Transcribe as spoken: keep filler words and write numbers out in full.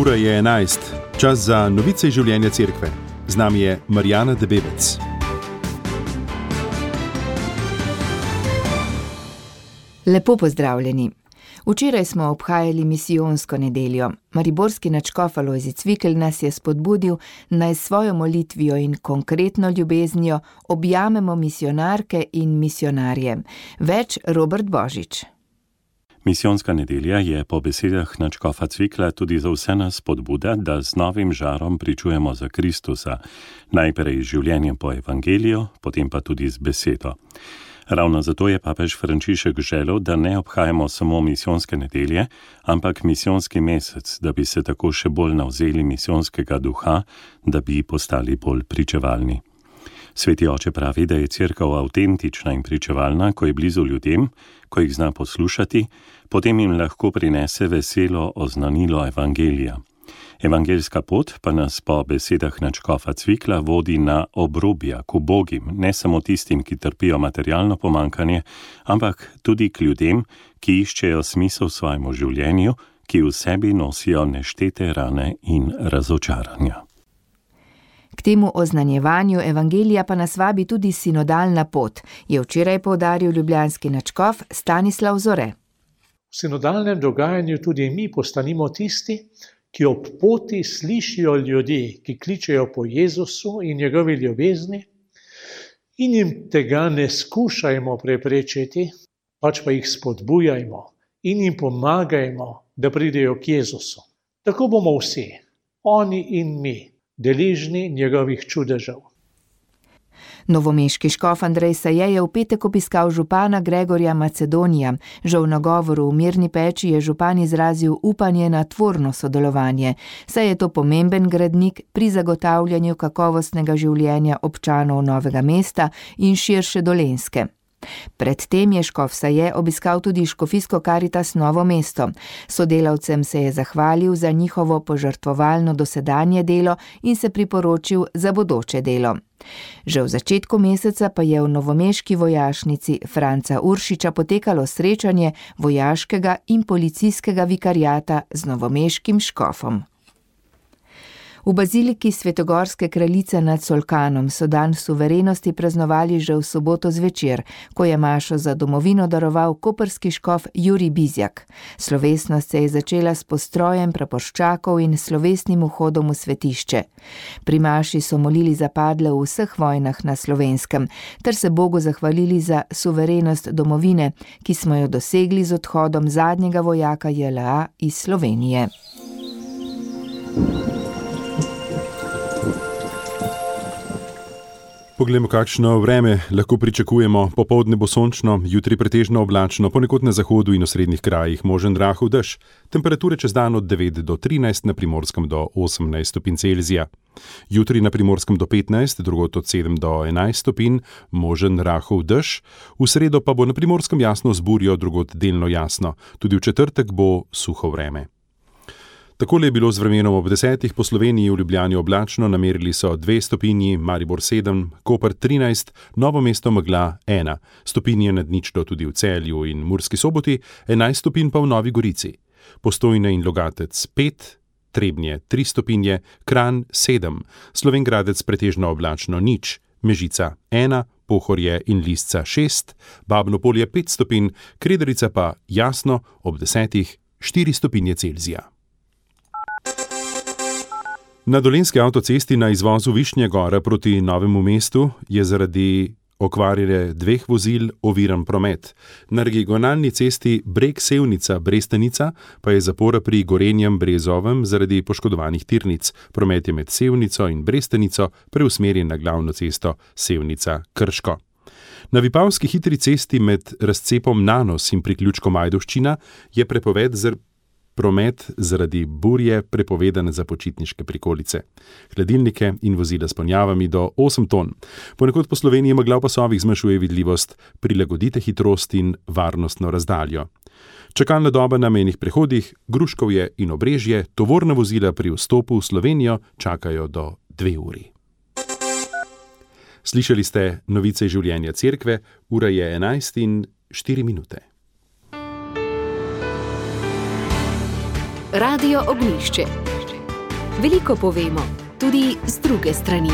Ura je enajst, čas za novice iz življenja cerkve. Z nami je Marjana Debevec. Lepo pozdravljeni. Včeraj smo obhajali misijonsko nedeljo. Mariborski nadškof Alojzij Cvikl nas je spodbudil, naj s svojo molitvijo in konkretno ljubeznijo objamemo misijonarke in misijonarje. Več Robert Božič. Misijonska nedelja je po besedah nadškofa Cvikla tudi za vse nas spodbuda, da z novim žarom pričujemo za Kristusa, najprej z življenjem po evangeliju, potem pa tudi z besedo. Ravno zato je papež Frančišek želel, da ne obhajamo samo misijonske nedelje, ampak misijonski mesec, da bi se tako še bolj navzeli misijonskega duha, da bi postali bolj pričevalni. Sveti oče pravi, da je cerkev avtentična in pričevalna, ko je blizu ljudem, ko jih zna poslušati, potem jim lahko prinese veselo oznanilo evangelija. Evangeljska pot pa nas po besedah nadškofa Cvikla vodi na obrobja, k ubogim, ne samo tistim, ki trpijo materialno pomanjkanje, ampak tudi k ljudem, ki iščejo smisel svojemu življenju, ki v sebi nosijo neštete rane in razočaranja. K temu oznanjevanju evangelija pa nas vabi tudi sinodalna pot, je včeraj poudaril ljubljanski nadškof Stanislav Zore. V sinodalnem dogajanju tudi mi postanimo tisti, ki ob poti slišijo ljudi, ki kličejo po Jezusu in njegovi ljubezni, in jim tega ne skušajmo preprečiti, pač pa jih spodbujajmo in jim pomagajmo, da pridejo k Jezusu. Tako bomo vsi, oni in mi, deležni njegovih čudežev. Novomeški škof Andrej Saje je v petek obiskal župana Gregorja Macedonija. Že v nagovoru v Mirni peči je župan izrazil upanje na tvorno sodelovanje, saj je to pomemben gradnik pri zagotavljanju kakovostnega življenja občanov Novega mesta in širše Dolenjske. Predtem je škof Saje obiskal tudi škofijsko Karitas Novo mesto. Sodelavcem se je zahvalil za njihovo požrtvovalno dosedanje delo in se priporočil za bodoče delo. Že v začetku meseca pa je v novomeški vojašnici Franca Uršiča potekalo srečanje vojaškega in policijskega vikariata z novomeškim škofom. V baziliki Svetogorske kraljice nad Solkanom so dan suverenosti praznovali že v soboto zvečer, ko je mašo za domovino daroval koprski škof Jurij Bizjak. Slovesnost se je začela s postrojem praporščakov in slovesnim vhodom v svetišče. Pri maši so molili za padle v vseh vojnah na Slovenskem, ter se Bogu zahvalili za suverenost domovine, ki smo jo dosegli z odhodom zadnjega vojaka J L A iz Slovenije. Poglejmo, kakšno vreme lahko pričakujemo. Popoldne bo sončno, jutri pretežno oblačno, ponekod na zahodu in osrednjih krajih možen rahel dež. Temperature čez dan od devet do trinajst, na Primorskem do osemnajst stopinj Celzija. Jutri na Primorskem do petnajst, drugod od sedem do enajst stopinj, možen rahel dež. V sredo pa bo na Primorskem jasno z burjo, drugod delno jasno. Tudi v četrtek bo suho vreme. Takole je bilo z vremenom ob desetih po Sloveniji. V Ljubljani oblačno, namerili so dve stopinji, Maribor sedem, Koper trinajst, Novo mesto megla ena, stopinje nad ničlo tudi v Celju in Murski Soboti, enajst stopinj pa v Novi Gorici. Postojna in Logatec pet, Trebnje tri stopinje, Kranj sedem, Slovenj Gradec pretežno oblačno nič, Mežica ena, Pohorje in Lisca šest, Babno Polje pet stopinj, Krederica pa jasno ob desetih štiri stopinje Celzija. Na dolenjski avtocesti na izvozu Višnje Gora proti Novemu mestu je zaradi okvarjene dveh vozil oviran promet. Na regionalni cesti Breg-Sevnica-Brestenica pa je zapora pri Gorenjem Brezovem zaradi poškodovanih tirnic. Promet je med Sevnico in Brestenico preusmerjen na glavno cesto Sevnica-Krško. Na Vipavski hitri cesti med razcepom Nanos in priključkom Ajdovščina je prepoved zr promet zaradi burje prepovedan za počitniške prikolice. Hladilnike in vozila s ponjavami do osem ton. Ponekod po Sloveniji megla v pasovih zmanjšuje vidljivost, prilagodite hitrost in varnostno razdaljo. Čakalna doba na mejnih prehodih, Gruškovje in Obrežje, tovorna vozila pri vstopu v Slovenijo čakajo do dve uri. Slišali ste novice življenja cerkve, ura je enajst in štiri minute. Radio Ognjišče. Veliko povemo, tudi z druge strani.